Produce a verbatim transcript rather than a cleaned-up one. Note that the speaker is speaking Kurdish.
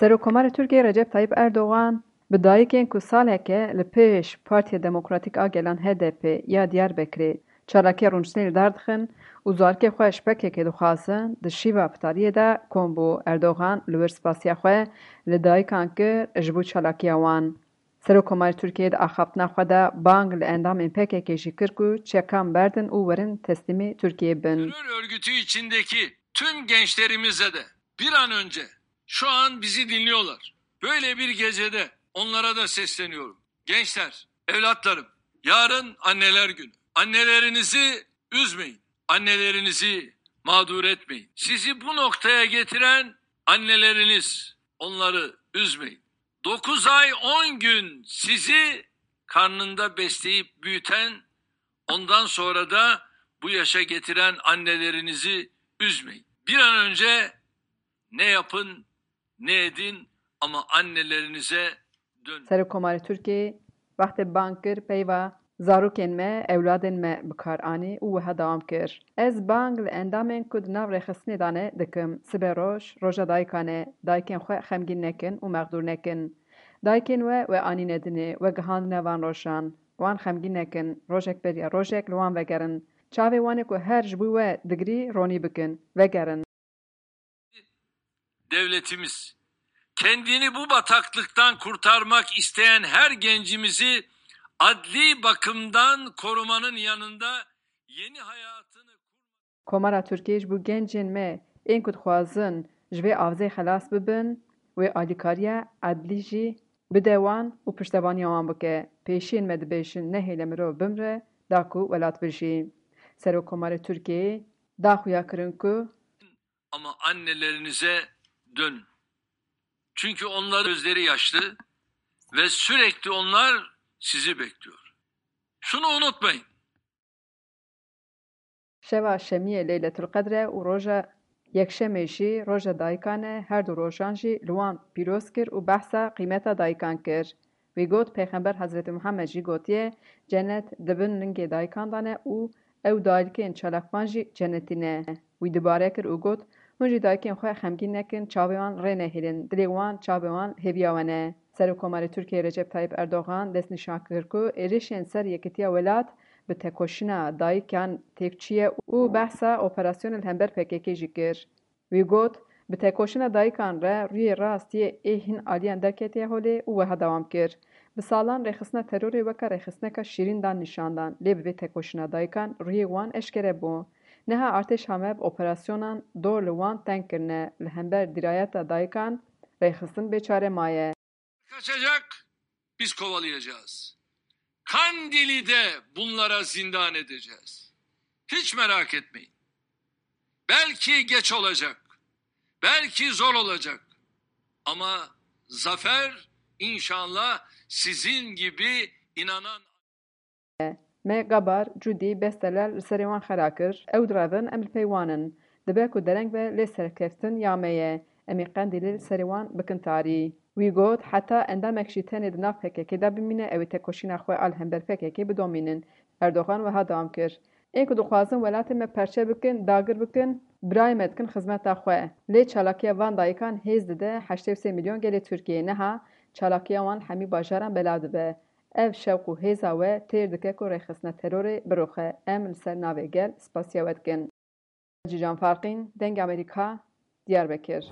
Serokkomarê Tirkiyê Recep Tayyip Erdogan bi dayikên ku saleke li pêş Partiya Demokratîk a Gelan H D P ya Diyarbekirê çalakiya rûniştinê li dar dixin û zarokê xwe ji P K K dixwazin, di şîva fitariyê de kom bû. Erdogan li wir spasiya xwe li dayikan kir ji bo çalakiya wan. Serokkomarê Tirkiyê di axaftina xwe de bang li endamên P K K jî kir ku çekan berdin û werin teslîmê Tirkiyê bin. Terör örgütü içindeki tüm gençlerimize de bir an önce şu an bizi dinliyorlar. Böyle bir gecede onlara da sesleniyorum. Gençler, evlatlarım, yarın anneler günü. Annelerinizi üzmeyin. Annelerinizi mağdur etmeyin. Sizi bu noktaya getiren anneleriniz, onları üzmeyin. Dokuz ay on gün sizi karnında besleyip büyüten, ondan sonra da bu yaşa getiren annelerinizi üzmeyin. Bir an önce ne yapın, ne edin, ama annelerinize dönün. Serokkomarê Tirkiyê wextê bang kir peyva zarokên me, ewladên me bi kar anî û wiha dewam kir: Ez bang li endamên ku di nav rêxistinê de ne dikim. Sibe roj, roja dayikan e. Dayikên xwe xemgîn nekin û mexdûr nekin. Dayikên we, we anîne dinê, we gihandine van rojan. Wan xemgîn nekin. Rojek beriya rojek li wan vegerin. Çavê wan ê ku her ji bo we digirî ronî bikin. Vegerin. Devletimiz kendini bu bataklıktan kurtarmak isteyen her gencimizi adli bakımdan korumanın yanında yeni hayatını Komara Tirkiyê ji bo gencên me ên ku dixwazin ji vê avzê xelas bibin, wê alîkariya edlî jî bide wan û piştevaniya wan bike. Pêşiyên me dibêjin: Nehêle mirov bimre, da ku welat bijî. Serokkomarê Tirkiyeyê da xuya kirin ku Ama annelerinize dönün. Çünkü onlar gözleri yaşlı ve sürekli onlar sizi bekliyor. Şunu unutmayın. Şeva Şemiyê Leyletulqedr e û roja Yekşemê jî roja dayikan e, her du rojan jî li wan pîroz kir û behsa qîmeta dayikan kir. Wî got, Pêxember Hezretî Muhammed jî gotiye, Cenet di bin lingê dayikan de ne û ew dayikên çalakvan jî cenetî ne. Wî dubare kir û got, Hûn jî dayikên xwe xemgîn nekin, çavê wan rê nehêlin, dilê wan, çavê wan hêviya we ne. Serokkomarê Tirkiyeyê Recep Tayyip Erdogan destnîşan kir ku êrişên ser yekîtiya welat bi tekoşîna dayikan têk çûye û behsa operasyonê li hember P K K jî kir. Wî got, Bi tekoşîna dayikan re rûyê rast yê ê hin aliyan derketiye holê û wiha dewam kir, Bi salan rêxistina terorê weke rêxistineka şîrîn dan nîşan dan, lê bi vê tekoşîna dayikan rûyê wan eşkere bû. Niha artêşa me bi operasyonan dor li wan teng kirine, li hember dîrayeta dayikan rêxistin bêçare maye. Kaçacak, biz kovalayacağız. Kandil'i de bunlara zindan edeceğiz. Hiç merak etmeyin. Belki geç olacak. Belki zor olacak. Ama zafer inşallah sizin gibi inanan Me Gabar, Cudî, Bestelel li serê wan xera kir. Ew direvin, em li pey wan in. Dibe ku dereng be lê serkeftin ya me ye. Em ê Qendîlê li serê wan bikin tarî. Wî got, Heta endamek jî tenê di nav P K K de bimîne, ew ê tekoşîna xwe a li hember P K K bidomînin. Erdogan wiha dewam kir, Ên ku dixwazin welatê me perçe bikin, dagir bikin, birayê me dikin xizmeta xwe. Lê çalakiya van dayikan hêz dide heştê û sê milyon gelê Tirkiyeyê. Niha çalakiya wan hemî bajaran belav dibe. Ev şewq û hêza we têr dike ku rêxistina terorê biroxe. Em li ser navê gel spasiya we dikin. Cîcan Farqîn, Dengê Amerîka, Diyarbekir.